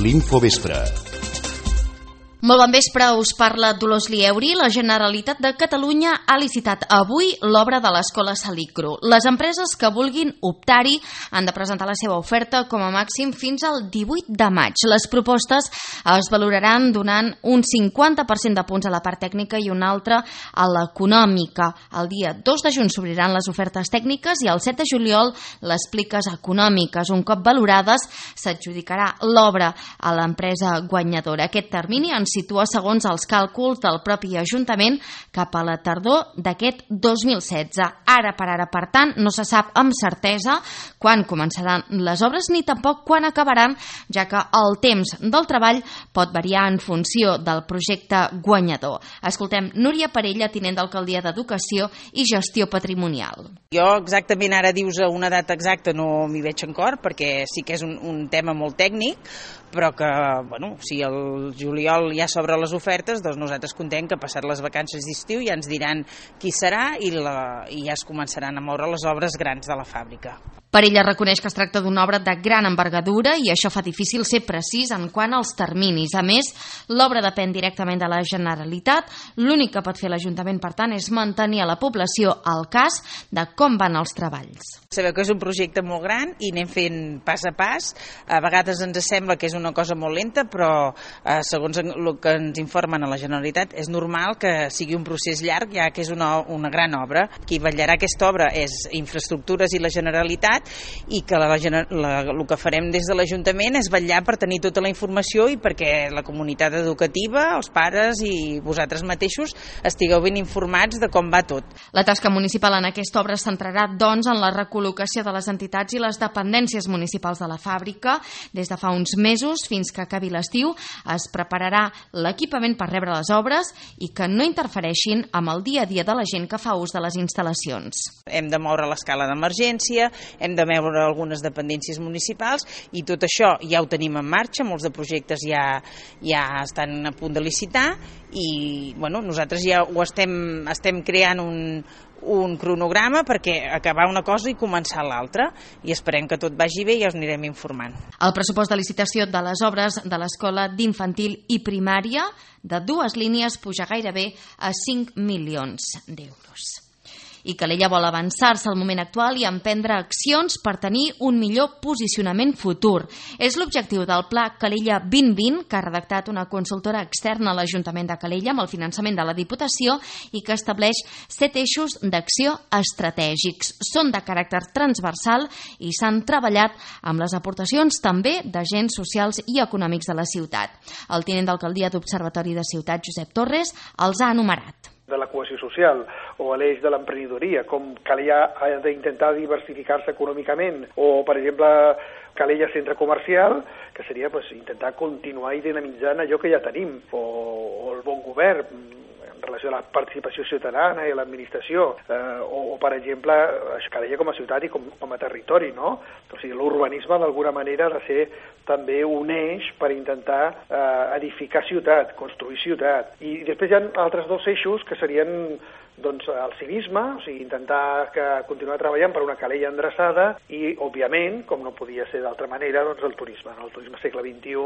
l'Infovespre. Molt bon vespre, us parla Dolors Lieuri. La Generalitat de Catalunya ha licitat avui l'obra de l'Escola Salicru. Les empreses que vulguin optar-hi han de presentar la seva oferta com a màxim fins al 18 de maig. Les propostes es valoraran donant un 50% de punts a la part tècnica i un altre a l'econòmica. El dia 2 de juny s'obriran les ofertes tècniques i el 7 de juliol les pliques econòmiques. Un cop valorades, s'adjudicarà l'obra a l'empresa guanyadora. Aquest termini ens situa, segons els càlculs del propi Ajuntament, cap a la tardor d'aquest 2016. Ara per ara, per tant, no se sap amb certesa quan començaran les obres ni tampoc quan acabaran, ja que el temps del treball pot variar en funció del projecte guanyador. Escoltem Núria Parella, tinent d'alcaldia d'Educació i Gestió Patrimonial. Jo exactament ara dius una data exacta no m'hi veig en cor, perquè sí que és un tema molt tècnic, però que, si el juliol ja s'obren les ofertes, doncs nosaltres contem que passat les vacances d'estiu ja ens diran qui serà i ja es començaran a moure les obres grans de la fàbrica. Parella reconeix que es tracta d'una obra de gran envergadura i això fa difícil ser precís en quant als terminis. A més, l'obra depèn directament de la Generalitat. L'únic que pot fer l'Ajuntament, per tant, és mantenir a la població al cas de com van els treballs. Sabeu que és un projecte molt gran i anem fent pas a pas. A vegades ens sembla que és una cosa molt lenta, però segons el que ens informen a la Generalitat és normal que sigui un procés llarg, ja que és una gran obra. Qui vetllarà aquesta obra és Infraestructures i la Generalitat, i que el que farem des de l'Ajuntament és vetllar per tenir tota la informació i perquè la comunitat educativa, els pares i vosaltres mateixos estigueu ben informats de com va tot. La tasca municipal en aquesta obra es centrarà, doncs, en la recol·locació de les entitats i les dependències municipals de la fàbrica. Des de fa uns mesos fins que acabi l'estiu es prepararà l'equipament per rebre les obres i que no interfereixin amb el dia a dia de la gent que fa ús de les instal·lacions. Hem de moure l'escala d'emergència, hem de veure algunes dependències municipals i tot això ja ho tenim en marxa, molts de projectes ja estan a punt de licitar i nosaltres ja ho estem creant un cronograma perquè acabar una cosa i començar l'altra i esperem que tot vagi bé i ja us anirem informant. El pressupost de licitació de les obres de l'Escola d'Infantil i Primària de 2 línies puja gairebé a 5 milions d'euros. I Calella vol avançar-se al moment actual i emprendre accions per tenir un millor posicionament futur. És l'objectiu del Pla Calella 2020 que ha redactat una consultora externa a l'Ajuntament de Calella amb el finançament de la Diputació i que estableix 7 eixos d'acció estratègics. Són de caràcter transversal i s'han treballat amb les aportacions també d'agents socials i econòmics de la ciutat. El tinent d'alcaldia d'Observatori de Ciutat, Josep Torres, els ha enumerat. De la cohesió social o l'eix de l'emprenedoria, com Calella ha d'intentar diversificar-se econòmicament, o, per exemple, Calella Centre Comercial, que seria intentar continuar i dinamitzant allò que ja tenim, o el bon govern, en relació a la participació ciutadana i a l'administració, o per exemple, Calella com a ciutat i com a territori, no? O sigui, l'urbanisme d'alguna manera ha de ser també un eix per intentar edificar ciutat, construir ciutat. I després hi ha altres 2 eixos que serien el civisme, o sigui, intentar continuar treballant per una Calella endreçada i, òbviament, com no podia ser d'altra manera, el turisme, el turisme segle XXI.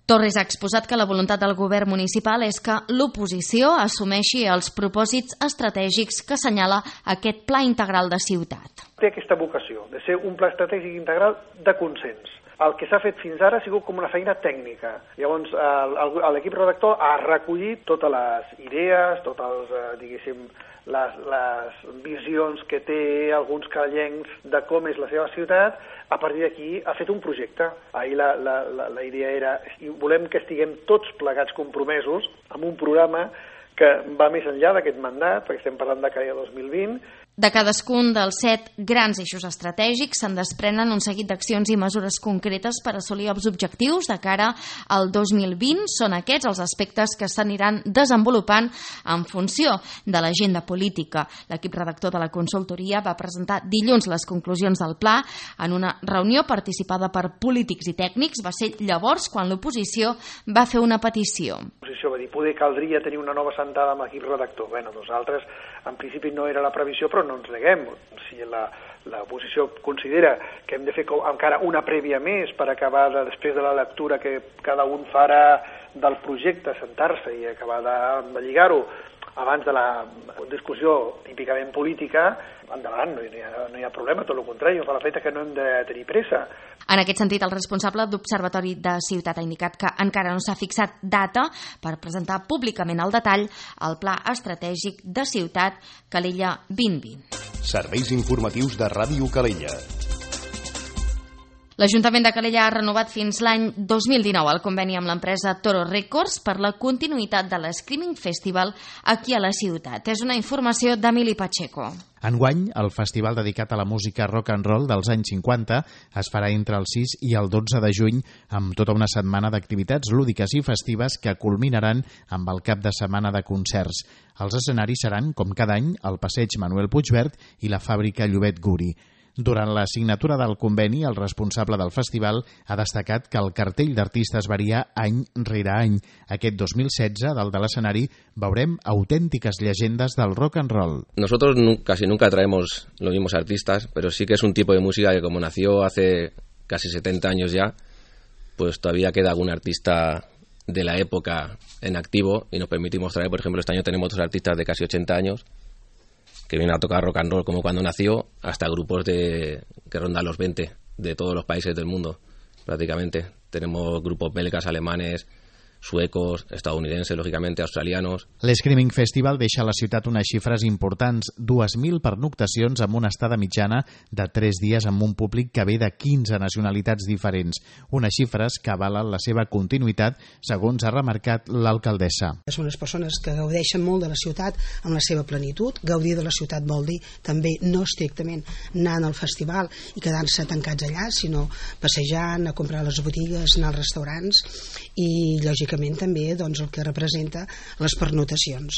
Torres ha exposat que la voluntat del govern municipal és que l'oposició assumeixi els propòsits estratègics que assenyala aquest Pla Integral de Ciutat. Té aquesta vocació de ser un pla estratègic integral de consens. El que s'ha fet fins ara ha sigut com una feina tècnica. Llavors, l'equip redactor ha recollit totes les idees, totes les visions que té alguns callencs de com és la seva ciutat. A partir d'aquí ha fet un projecte. Ahir la idea era, volem que estiguem tots plegats compromesos amb un programa que va més enllà d'aquest mandat, perquè estem parlant de Calella 2020. De cadascun dels 7 grans eixos estratègics se'n desprenen un seguit d'accions i mesures concretes per assolir els objectius de cara al 2020. Són aquests els aspectes que s'aniran desenvolupant en funció de l'agenda política. L'equip redactor de la consultoria va presentar dilluns les conclusions del pla en una reunió participada per polítics i tècnics. Va ser llavors quan l'oposició va fer una petició. L'oposició va dir, poder caldria tenir una nova sentada amb l'equip redactor. Nosaltres, en principi, no era la previsió, però no ens neguem. Si l'oposició considera que hem de fer encara una prèvia més per acabar després de la lectura que cada un farà del projecte, sentar-se i acabar de lligar-ho abans de la discussió típicament política, endavant, no hi ha problema, tot el contrari, fa l'efecte que no hem de tenir pressa. En aquest sentit, el responsable d'Observatori de Ciutat ha indicat que encara no s'ha fixat data per presentar públicament al detall el Pla Estratègic de Ciutat Calella 2020. Serveis informatius de Ràdio Calella. L'Ajuntament de Calella ha renovat fins l'any 2019 el conveni amb l'empresa Toro Records per la continuïtat de l'Screaming Festival aquí a la ciutat. És una informació d'Emili Pacheco. Enguany, el festival dedicat a la música rock and roll dels anys 50 es farà entre el 6 i el 12 de juny amb tota una setmana d'activitats lúdiques i festives que culminaran amb el cap de setmana de concerts. Els escenaris seran, com cada any, el Passeig Manuel Puigvert i la Fàbrica Llobet Guri. Durant la signatura del conveni, el responsable del festival ha destacat que el cartell d'artistes varia any rere any. Aquest 2016, dalt de l'escenari, veurem autèntiques llegendes del rock and roll. Nosotros casi nunca traemos los mismos artistas, pero sí que es un tipo de música que como nació hace casi 70 años ya, pues todavía queda algún artista de la época en activo y nos permitimos traer, por ejemplo, este año tenemos otros artistas de casi 80 años que vienen a tocar rock and roll como cuando nació, hasta grupos que rondan los 20 de todos los países del mundo, prácticamente. Tenemos grupos belgas, alemanes, suecos, estadounidenses, lògicament, australianos. L'Screaming Festival deixa a la ciutat unes xifres importants, 2.000 pernoctacions amb una estada mitjana de 3 dies amb un públic que ve de 15 nacionalitats diferents, unes xifres que avalen la seva continuïtat, segons ha remarcat l'alcaldessa. Són les persones que gaudeixen molt de la ciutat en la seva plenitud. Gaudir de la ciutat vol dir també no estrictament anant al festival i quedant-se tancats allà, sinó passejant, a comprar a les botigues, anar als restaurants i, lògicament, també doncs, el que representa les pernotacions.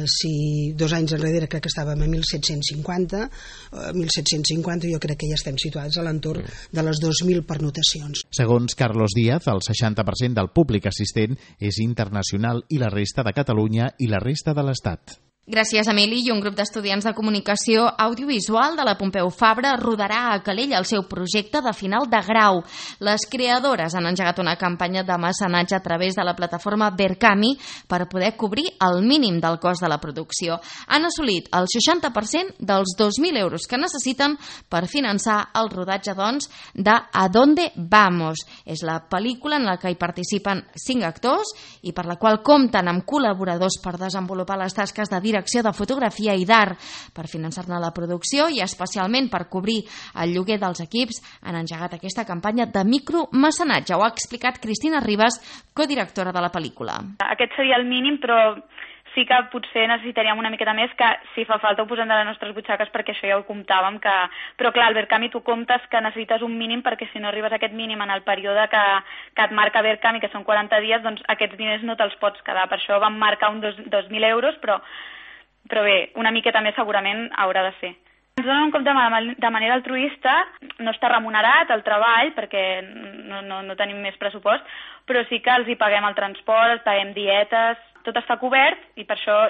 Si 2 anys enrere crec que estàvem a 1.750, jo crec que ja estem situats a l'entorn de les 2.000 pernotacions. Segons Carlos Díaz, el 60% del públic assistent és internacional i la resta de Catalunya i la resta de l'Estat. Gràcies, Emili. I un grup d'estudiants de comunicació audiovisual de la Pompeu Fabra rodarà a Calella el seu projecte de final de grau. Les creadores han engegat una campanya de mecenatge a través de la plataforma Verkami per poder cobrir el mínim del cost de la producció. Han assolit el 60% dels 2.000 euros que necessiten per finançar el rodatge, doncs, de A Dónde Vamos. És la pel·lícula en la que hi participen 5 actors i per la qual compten amb col·laboradors per desenvolupar les tasques de direcció de fotografia i d'art. Per finançar-ne la producció i especialment per cobrir el lloguer dels equips han engegat aquesta campanya de micromecenatge. Ho ha explicat Cristina Ribas, codirectora de la pel·lícula. Aquest seria el mínim, però sí que potser necessitaríem una miqueta més, que si fa falta ho posem de les nostres butxaques, perquè això ja ho comptàvem, però clar, al Verkami tu comptes que necessites un mínim, perquè si no arribes a aquest mínim en el període que et marca Verkami, que són 40 dies, doncs aquests diners no te'ls pots quedar. Per això vam marcar uns 2.000 euros, però bé, una miqueta més segurament haurà de ser. Ens donen un compte de manera altruista, no està remunerat el treball perquè no tenim més pressupost, però sí que els hi paguem el transport, els paguem dietes, tot està cobert i per això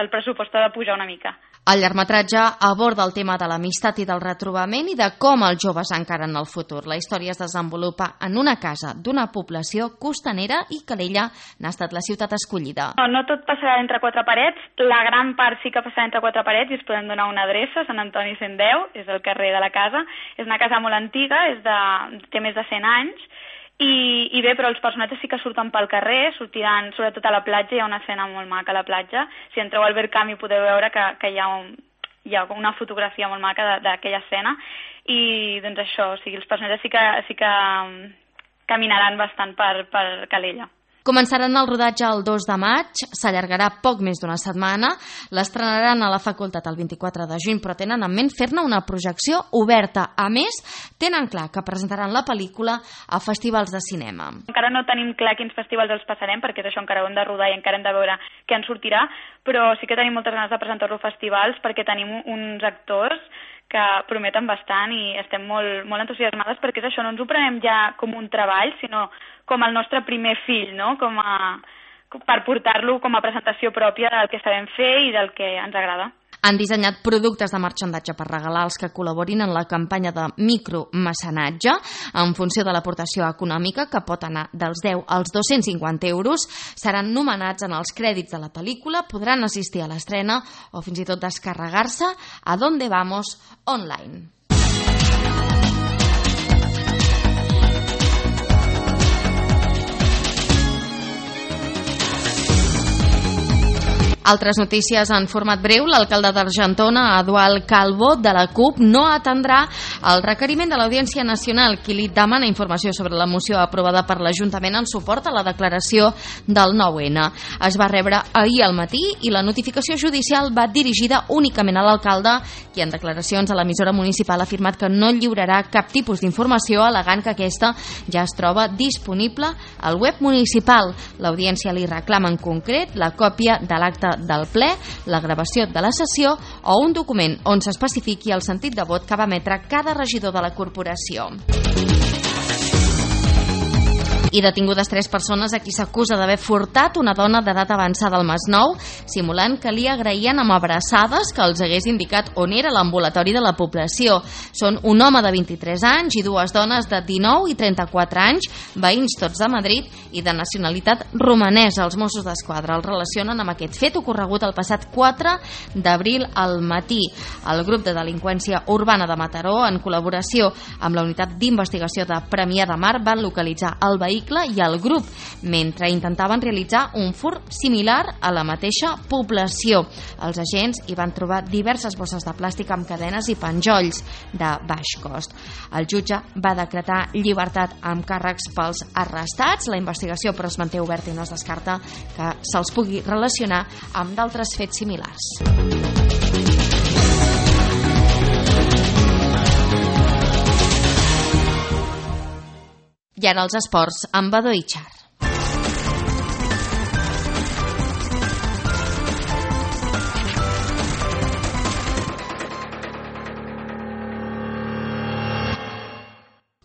el pressupost ha de pujar una mica. El llargmetratge aborda el tema de l'amistat i del retrobament i de com els joves encaren el futur. La història es desenvolupa en una casa d'una població costanera i Calella n'ha estat la ciutat escollida. No tot passarà entre 4 parets, la gran part sí que passarà entre 4 parets i us podem donar una adreça, Sant Antoni 110, és el carrer de la casa. És una casa molt antiga, té més de 100 anys, i bé, però els personatges sí que surten pel carrer, sortiran sobretot a la platja, hi ha una escena molt maca a la platja. Si entreu al Verkami podeu veure que hi ha una fotografia molt maca d'aquella escena, i doncs això, o sigui, els personatges sí que caminaran bastant per Calella. Començaran el rodatge el 2 de maig, s'allargarà poc més d'una setmana, l'estrenaran a la facultat el 24 de juny, però tenen en ment fer-ne una projecció oberta. A més, tenen clar que presentaran la pel·lícula a festivals de cinema. Encara no tenim clar quins festivals els passarem, perquè és això, encara ho hem de rodar i encara hem de veure què en sortirà, però sí que tenim moltes ganes de presentar-lo a festivals perquè tenim uns actors que prometen bastant i estem molt entusiasmades perquè és això, no ens ho prenem ja com un treball, sinó com el nostre primer fill, no? Per portar-lo com a presentació pròpia del que sabem fer i del que ens agrada. Han dissenyat productes de marxandatge per regalar als que col·laborin en la campanya de micromecenatge en funció de l'aportació econòmica, que pot anar dels 10 als 250 euros. Seran nomenats en els crèdits de la pel·lícula, podran assistir a l'estrena o fins i tot descarregar-se a Donde Vamos online. Altres notícies en format breu. L'alcalde d'Argentona, Eduard Calvo, de la CUP, no atendrà el requeriment de l'Audiència Nacional, qui li demana informació sobre la moció aprovada per l'Ajuntament en suport a la declaració del 9-N. Es va rebre ahir al matí i la notificació judicial va dirigida únicament a l'alcalde, qui en declaracions a l'emissora municipal ha afirmat que no lliurarà cap tipus d'informació, al·legant que aquesta ja es troba disponible al web municipal. L'Audiència li reclama en concret la còpia de l'acte del ple, la gravació de la sessió o un document on s'especifiqui el sentit de vot que va emetre cada regidor de la corporació. I detingudes 3 persones a qui s'acusa d'haver furtat una dona d'edat avançada al Masnou, simulant que li agraïen amb abraçades que els hagués indicat on era l'ambulatori de la població. Són un home de 23 anys i 2 dones de 19 i 34 anys, veïns tots de Madrid i de nacionalitat romanesa. Els Mossos d'Esquadra els relacionen amb aquest fet ocorregut el passat 4 d'abril al matí. El grup de delinqüència urbana de Mataró, en col·laboració amb la unitat d'investigació de Premià de Mar, van localitzar el vehicle i el grup mentre intentaven realitzar un furt similar a la mateixa població. Els agents hi van trobar diverses bosses de plàstic amb cadenes i penjolls de baix cost. El jutge va decretar llibertat amb càrrecs pels arrestats. La investigació però es manté oberta i no es descarta que se'ls pugui relacionar amb d'altres fets similars. I ara els esports amb Badó Itxar.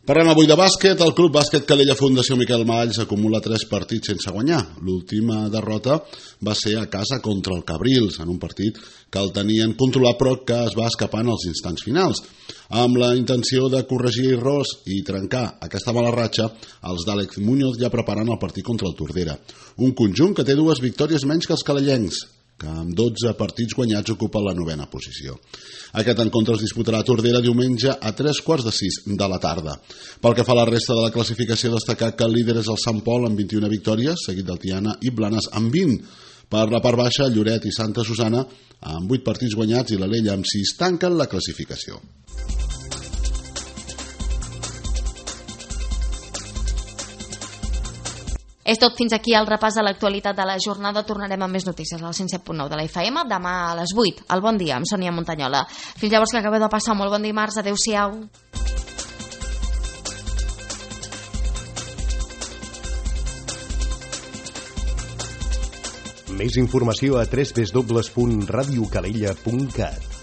Parlem avui de bàsquet. El Club Bàsquet Calella Fundació Miquel Malls acumula 3 partits sense guanyar. L'última derrota va ser a casa contra el Cabrils, en un partit que el tenien controlat però que es va escapar en els instants finals. Amb la intenció de corregir errors i trencar aquesta mala ratxa, els d'Àlex Muñoz ja preparen el partit contra el Tordera. Un conjunt que té 2 victòries menys que els calellencs, que amb 12 partits guanyats ocupa la 9ª posició. Aquest encontre es disputarà a Tordera diumenge a 3:45 de la tarda. Pel que fa a la resta de la classificació, destacar que el líder és el Sant Pol amb 21 victòries, seguit del Tiana i Blanes amb 20. Per la part baixa, Lloret i Santa Susana amb 8 partits guanyats i l'Alella amb 6 tanquen la classificació. És tot, fins aquí el repàs de l'actualitat de la jornada. Tornarem amb més notícies al 107.9 de la FM demà a les 8, al Bon Dia, amb Sònia Montanyola. Fins llavors, que acabeu de passar molt bon dimarts. Adéu-siau. Més informació a www.radiocalella.cat.